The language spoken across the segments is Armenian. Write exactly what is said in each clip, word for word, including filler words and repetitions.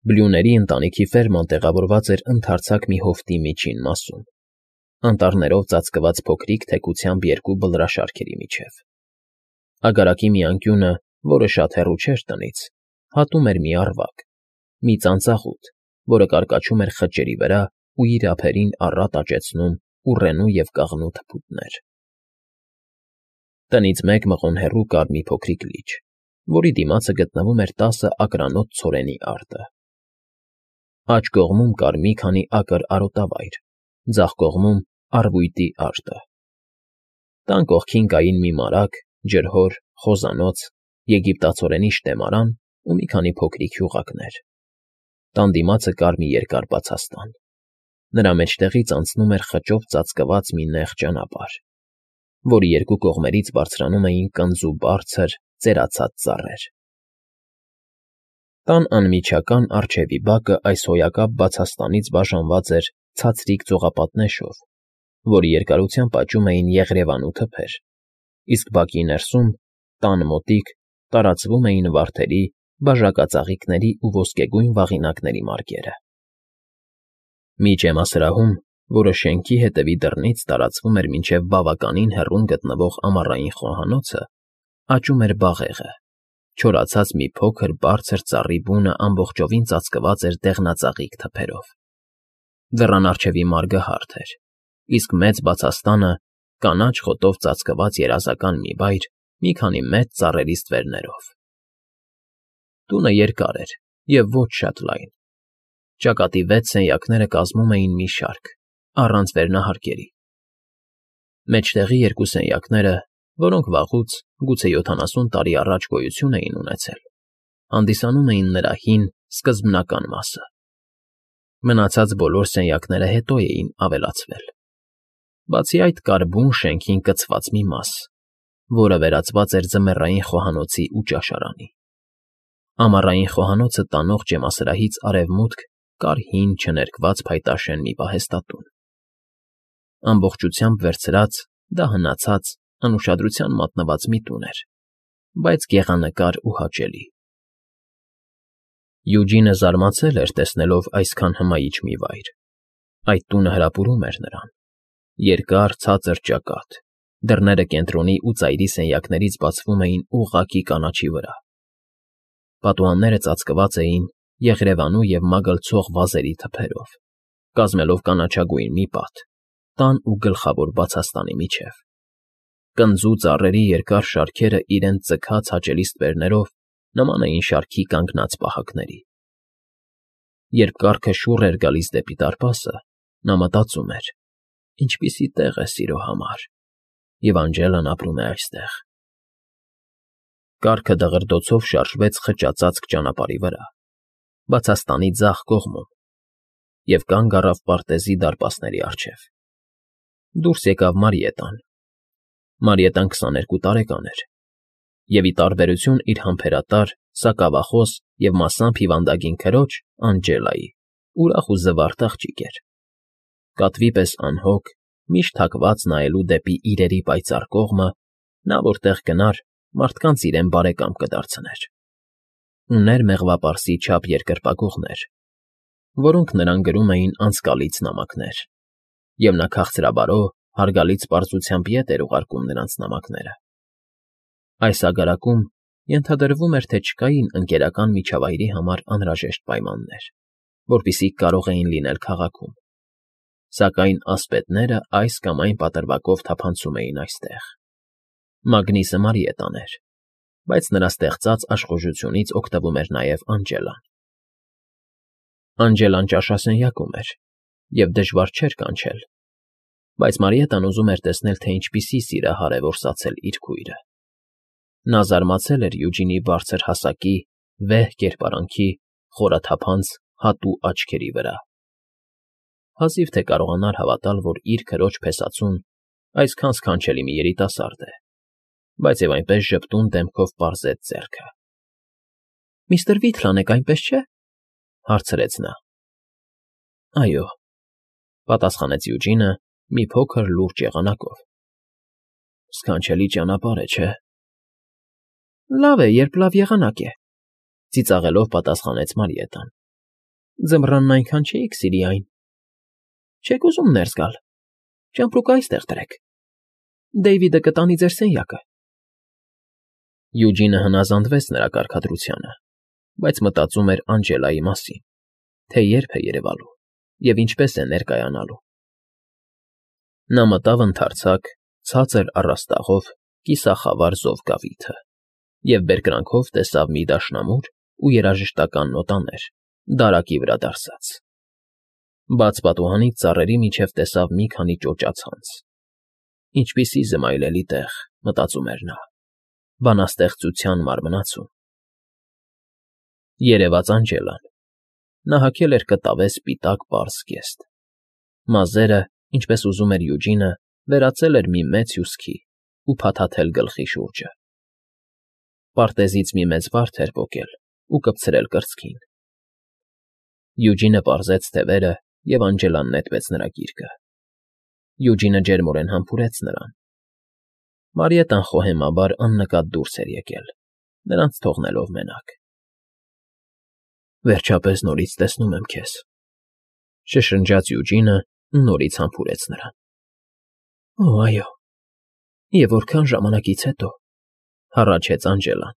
Բլյուների ընտանիքի ֆերման տեղավորված էր ընդարձակ մի հովտի միջին մասում, անտառներով ծածկված փոքրիկ թեքությամբ երկու բլրաշարքերի միջև. Ագարակի մի անկյունը, որը շատ հեռու չէր տնից, հատում էր մի առվակ, մի ծանծաղուտ, որը կարկաչում էր խճերի վրա ու իր ափերին առատ աճեցնում ուռենու և կաղնու թփուտներ. Տնից մեկ մղոն հեռու կար մի փոքրիկ լիճ, որի դիմացը գտնվում էր տասը ակրանոց ցորենի արտը. Աջ կողմում կար մի քանի ակր արոտավայր, ձախ կողմում՝ առվույտի արտը. տան կողքին կային մի մարագ, ջրհոր, խոզանոց, եգիպտացորենի շտեմարան ու մի քանի փոքրիկ հյուղակներ. տան դիմացը կար մի երկար բացաստան, նրա մեջտեղից անցնում էր խճով ծածկված մի նեղ ճանապարհ, որի երկու կողմերից բարձրանում էին կնձու բարձր, ծերացած ծառեր. Տան անմիջական առջևի բակը այս հոյակապ բացաստանից բաժանված էր ցածրիկ ծողապատնեշով, որի երկարությամբ աճում էին եղրևանու թփեր, իսկ բակի ներսում, տան մոտիկ, տարածվում էին վարդերի, բաժակածաղիկների ու ոսկեգույն վաղինակների մարգերը. Միջեմասրահում, որը շենքի հետևի դռնից տարածվում էր մինչև բավականին հեռուն գտնվող ամառային խոհանոցը, աճում էր բաղեղը, չորացած մի փոքր բարձր ծառի բունը ամբողջովին ծածկված էր դեղնածաղիկ թփերով. դռան առջևի մարգը հարթ էր, իսկ մեծ բացաստանը կանաչ խոտով ծածկված երազական մի վայր մի քանի մեծ ծառերի ստվերներով. Տունը երկար էր և ոչ շատ լայն. ճակատի վեց սենյակները կազմում էին մի շարք, առանց վերնահարկերի. մեջտեղի երկու սենյակները, որոնք վաղուց, գուցե յոթանասուն տարի առաջ գոյություն էին ունեցել, հանդիսանում էին նրա հին, սկզբնական մասը. մնացած բոլոր սենյակները հետո էին ավելացվել. բացի այդ կար բուն շենքին կցված մի մաս, որը վերածված էր ձմեռային խոհանոցի ու ճաշարանի. ամառային խոհանոցը տանող ջեմասրահից արևմուտք կար հին չներկված փայտաշեն մի պահեստատուն. ամբողջությամբ վերցրած, դա հնացած, անուշադրության մատնված մի տուն էր, բայց գեղանկար ու հաճելի. Յուջինը զարմացել էր, տեսնելով այսքան հմայիչ մի վայր. այդ տունը հրապուրում էր նրան. երկար, ցածր ճակատ, դռները կենտրոնի ու ծայրի սենյակներից բացվում էին ուղղակի կանաչի վրա. պատուհանները ծածկված էին եղրևանու և մագլցող վազերի թփերով, կազմելով կանաչագույն մի պատ, տան ու գլխավոր բացաստանի միջև. կնձու ծառերի երկար շարքերը իրենց ձգած հաճելի ստվերներով նման էին շարքի կանգնած պահակների. Երբ կառքը շուռ էր գալիս դեպի դարպասը, նա մտածում էր. ինչպիսի տեղ է սիրո համար, և Անջելան ապրում է այստեղ. Կառքը դղրդոցով շարժվեց խճածածկ ճանապարհի վրա, բացաստանի ձախ կողմում, և կանգ առավ պարտեզի դարպասների առջև. դուրս եկավ Մարիետան. Մարիետան քսաներկու տարեկան էր, և, ի տարբերություն իր համբերատար, սակավախոս և մասամբ հիվանդագին քրոջ՝ Անջելայի, ուրախ ու զվարթ աղջիկ էր. կատվի պես անհոգ, միշտ հակված նայելու դեպի իրերի պայծառ կողմը, նա որտեղ գնար, մարդկանց իրեն բարեկամ կդարձներ. ուներ մեղվապարսի չափ երկրպագուղներ, որոնք նրան գրում էին անցկալից նամակներ, և նա քաղցրաբարո, հարգալից պարզությամբ ետ էր ուղարկում նրանց նամակները. այս ագարակում ենթադրվում էր, թե չկային ընկերական միջավայրի համար անհրաժեշտ պայմաններ, որպիսիք կարող էին լինել քաղաքում, սակայն ասպետները այս կամ այն պատրվակով թափանցում էին այստեղ. Մագնիսը Մարիետան էր, բայց նրա ստեղծած աշխուժությունից օգտվում էր նաև Անջելան. Անջելան ճաշասենյակում էր, և դժվար չէր կանչել, բայց Մարիետան ուզում էր տեսնել, թե ինչպիսի սիրահար է որսացել իր քույրը. նա զարմացել էր Յուջինի բարձր հասակի, վեհ կերպարանքի, խորաթափանց, հատու աչքերի վրա. հազիվ թե կարողանար հավատալ, որ իր քրոջ փեսացուն այսքան սքանչելի մի երիտասարդ է, բայց և այնպես ժպտուն դեմքով պարզեց ձեռքը. ֊ Միստր Վիթլան եք, այնպես չէ՞, հարցրեց նա. ֊ Այո, ֊ պատասխանեց Յուջինը մի փոքր լուրջ եղանակով։ ֊ Սքանչելի ճանապարհ է, չէ՞։ ֊ Լավ է, երբ լավ եղանակ է, ֊ ծիծաղելով պատասխանեց Մարիետան։ Ձմռանն այնքան չէիք սիրի այն։ Չեք ուզում ներս գալ, ճամպրուկը այստեղ դրեք, Դեյվիդը կտանի ձեր սենյակը։ Յուջինը հնազանդվեց նրա կարգադրությանը, բայց մտածում էր Անջելայի մասին, թե երբ է երևալու և ինչպես է ներկայանալու։ Նա մտավ ընդարձակ, ցածր առաստաղով կիսախավար զովգավիթը և բերկրանքով տեսավ մի դաշնամուր ու երաժշտական նոտաներ, դարակի վրա դարսած։ Բաց պատուհանից ծառերի միջև տեսավ մի քանի ճոճացանց։ Ինչպիսի զմայլելի տեղ, մտածում էր նա, բանաստեղծության մարմնացում։ Երևաց Անջելան։ Նա հագել էր կտավե սպիտակ պարզ զգեստ։ Մազերը, ինչպես ուզում էր Յուջինը, վերածել էր մի մեծ հյուսքի ու փաթաթել գլխի շուրջը։ Պարտեզից մի մեծ վարդ էր պոկել ու կպցրել կրծքին։ Յուջինը պարզեց թևերը, և Անջելան նետվեց նրա գիրկը։ Յուջինը ջերմորեն համբուրեց նրան։ Մարիետան խոհեմաբար աննկատ դուրս էր եկել, նրանց թողնելով մենակ։ Վերջապես նորից տեսնում եմ քեզ, շշնջաց Յուջինը ու նորից համբուրեց նրան։ Օ, այո, և որքան ժամանակից հետո, հառաչեց Անջելան։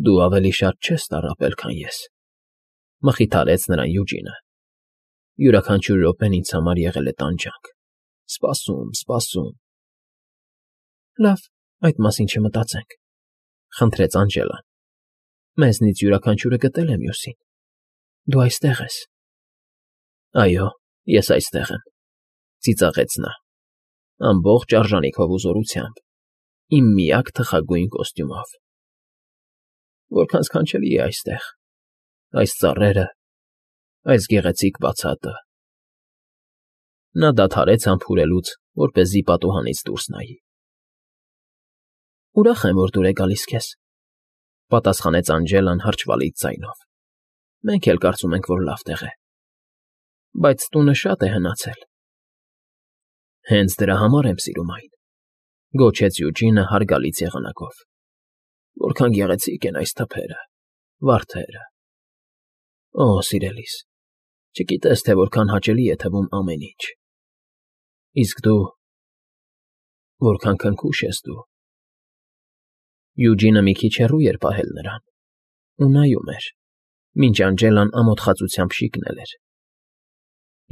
Դու ավելի շատ չես տառապել, քան ես, մխիթարեց նրան Յուջինը։ Յուրաքանչյուր րոպեն ինձ համար եղել է տանջանք, սպասում, սպասում։ Լավ, այդ մասին չմտածենք, խնդրեց Անջելան։ Մեզնից յուրաքանչյուրը գտել է մյուսին։ Դու այստեղ ես։ Այո, ես այստեղ եմ, ծիծաղեց նա, ամբողջ արժանիքով ու զորությամբ, իմ միակ թխագույն կոստյումով։ Որքան սքանչելի է այստեղ, այս ծառերը, այս գեղեցիկ բացատը։ Նա դադարեց համբուրելուց, որպեսզի պատուհանից դուրս նայի։ Ուրախ եմ, որ դուր է գալիս քեզ, պատասխանեց Անջելան հրճվալից ձայնով։ Մենք էլ կարծում ենք, որ լավ տեղ է։ Բայց տունը շատ է հնացել։ Հենց դրա համար եմ սիրում այն, գոչեց Յուջինը հարգալից եղանակով։ Որքան գեղեցիկ են այս թփերը, վարդերը։ Օ, սիրելիս, չգիտես, թե որքան հաճելի է թվում ամեն ինչ։ Իսկ դու… որքան քնքուշ ես դու։ Յուջինը մի քիչ հեռու էր պահել նրան ու նայում էր, մինչ Անջելան ամոթխածությամբ շիկնել էր։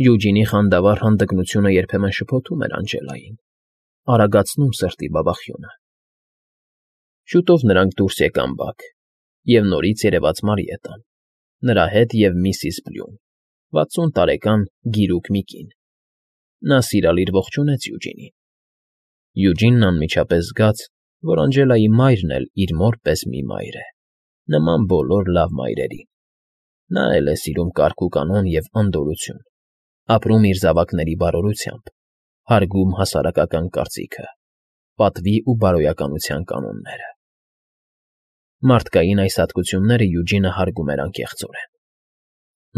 Յուջինի խանդավառ հանդգնությունը երբեմն շփոթում էր Անջելային, արագացնում սրտի բաբախյունը։ Շուտով նրանք դուրս եկան բակ, և նորից երևաց Մարիետան, նրա հետ և միսիս Բլյուն, վաթսուն տարեկան գիրուկ մի կին։ Նա սիրալիր ողջունեց Յուջինին։ Յուջինն անմիջապես զգաց, որ Անջելայի մայրն էլ իր մոր պես մի մայր է, նման բոլոր լավ մայրերին։ Նա էլ է սիրում կարգ ու կանոն և անդորրություն, ապրում իր զավակների բարօրությամբ, հարգում հասարակական կարծիքը, պատվի ու բարոյականության կանոնները։ Մարդկային այս հատկությունները Յուջինը հարգում էր անկեղծորեն։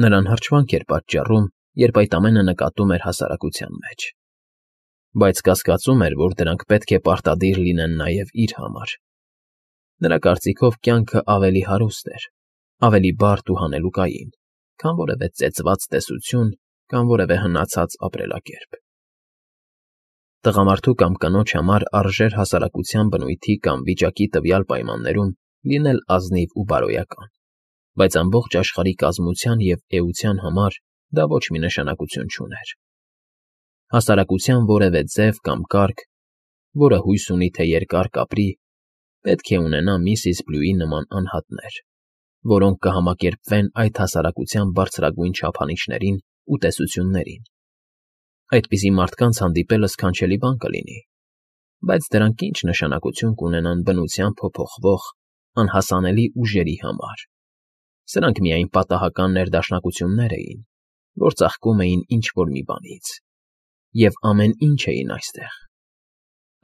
Նրան հրճվանք էր պատճառում, երբ այդ ամենը նկատում էր հասարակության մեջ, բայց կասկածում էր, որ դրանք պետք է պարտադիր լինեն նաև իր համար։ Նրա կարծիքով կյանքը ավելի հարուստ էր, ավելի բարդ ու հանելուկային, քան որևէ ծեծված տեսություն կամ որևէ հնացած ապրելակերպ։ Տղամարդու կամ կնոջ համար արժեր հասարակության բնույթի կամ վիճակի տվյալ պայմաններում լինել ազնիվ ու բարոյական, բայց ամբողջ աշխարհի կազմության և էության համար դա ոչ մի նշանակություն չուներ։ Հասարակության որևէ ձև կամ կարգ, որը հույս ունի, թե երկար կապրի, պետք է ունենա միսիս Բլյուի նման անհատներ, որոնք կհամակերպվեն այդ հասարակության բարձրագույն չափանիշներին ու տեսություններին։ Այդպիսի մարդկանց հանդիպելը սքանչելի բան կլինի, բայց դրանք ինչ նշանակություն կունենան բնությամբ փոփոխվող, անհասանելի ուժերի համար։ Սրանք միայն պատահական ներդաշնակություններ էին, որ ծաղկում էին ինչ֊որ մի բանից, և ամեն ինչ էին այստեղ,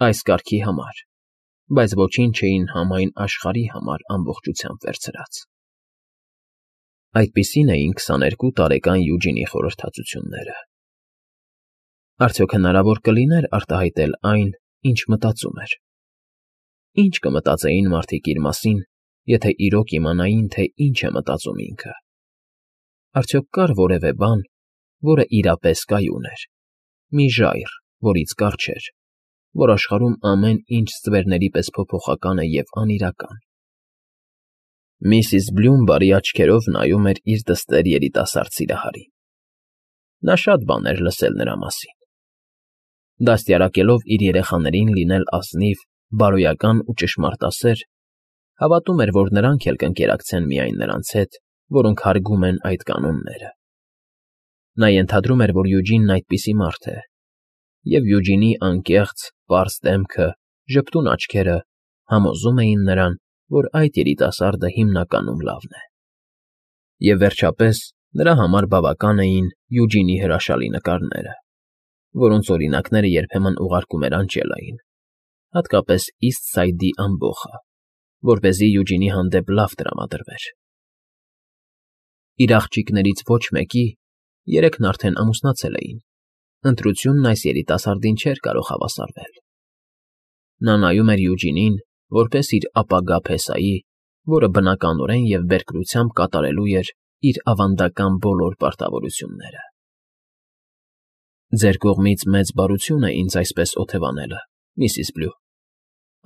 այս կարգի համար, բայց ոչինչ չէին համայն աշխարհի համար ամբողջությամբ վերցրած։ Այդպիսին էին քսաներկու տարեկան Յուջինի խորհրդածությունները։ Արդյոք հնարավոր կլիներ արտահայտել այն, ինչ մտածում էր։ Ինչ կմտածեին մարդիկ իր մասին, եթե իրոք իմանային, թե ինչ է մտածում ինքը։ Արդյոք կար որևէ բան, որը իրապես կայուն էր, մի ժայռ, որից կարճ էր, որ աշխարհում ամեն ինչ ստվերների պես փոփոխական է և անիրական։ Միսիս Բլյում բարի աչքերով նայում էր իր դստեր երիտասարդ սիրահարին. նա շատ բաներ էր լսել նրա մասին. դաստիարակելով իր երեխաներին լինել ազնիվ, բարոյական ու ճշմարտասեր, հավատում էր, որ նրանք էլ կընկերակցեն միայն նրանց հետ, որոնք հարգում են այդ կանոնները։ Նա ենթադրում էր, որ Յուջինն այդպիսի մարդ է, և Յուջինի անկեղծ, պարզ դեմքը, ժպտուն աչքերը համոզում էին նրան, որ այդ երիտասարդը հիմնականում լավն է։ Եվ վերջապես, նրա համար բավական էին Յուջինի հրաշալի նկարները, որոնց օրինակները երբեմն ուղարկում էր Անջելային, հատկապես Իսթ Սայդի ամբոխը, որպեսզի Յուջինի հանդեպ լավ տրամադրվեր։ Իր աղջիկներից ոչ մեկի երեքն արդեն ամուսնացել էին, ընտրությունն այս երիտասարդին չէր կարող հավասարվել։ Նա նայում էր Յուջինին, որպես իր ապագա փեսայի, որը բնականորեն և բերկրությամբ կատարելու էր իր ավանդական բոլոր պարտավորությունները։ «Ձեր կողմից մեծ բարություն է ինձ այսպես օթևանելը, միսիս Բլյու»,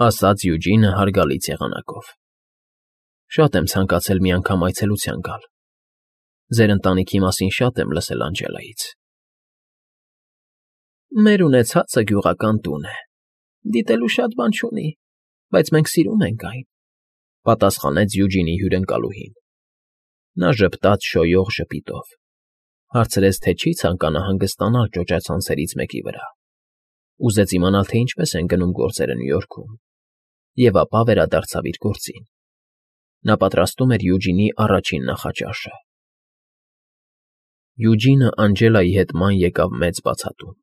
ասաց Յուջինը հարգալից եղանակով։ «Շատ եմ ցանկացել մի անգամ այցելության գալ։ Ձեր ընտանիքի մասին շատ եմ լսել Անջելայից»։ «Մեր ունեցածը գյուղական տուն է, դիտելու շատ բան չունի, բայց մենք սիրում ենք այն», պատասխանեց Յուջինի հյուրընկալուհին։ Նա ժպտաց շոյող ժպիտով, հարցրեց, թե չի ցանկանա հանգստանալ ճոճացանցերից մեկի վրա, ուզեց իմանալ, թե ինչպես են գնում գործերը Նյու Յորքում, և ապա վերադարձավ իր գործին։ Նա պատրաստում էր Յուջինի առաջին նախաճաշը։ Յուջինը Անջելայի հետ ման եկավ մեծ բացատում,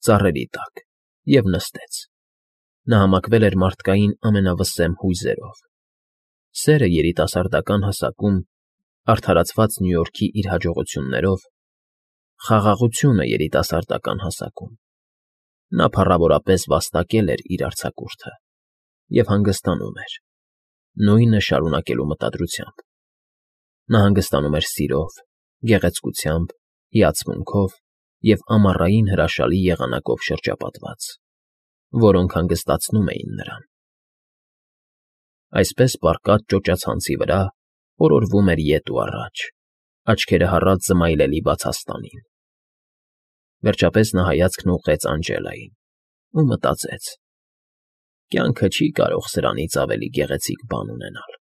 ծառերի տակ, և նստեց։ Նա համակվել էր մարդկային ամենավսեմ հույզերով. սերը երիտասարդական հասակում, արդարացված Նյու Յորքի իր հաջողություններով, խաղաղությունը երիտասարդական հասակում։ Նա փառավորապես վաստակել էր իր արձակուրդը և հանգստանում էր, նույնը շարունակելու մտադրությամբ։ Նա հանգստանում էր սիրով, գեղեցկությամբ, հիացմունքով և ամառային հրաշալի եղանակով շրջապատված, որոնք հանգստացնում էին նրան։ Այսպես պառկած ճոճացանցի վրա օրորվում էր ետ ու առաջ, աչքերը հառած զմայլելի բացաստանին։ Վերջապես նա հայացքն ուղղեց Անջելային ու մտածեց. «Կյանքը չի կարող սրանից ավելի գեղեցիկ բան ունենալ»։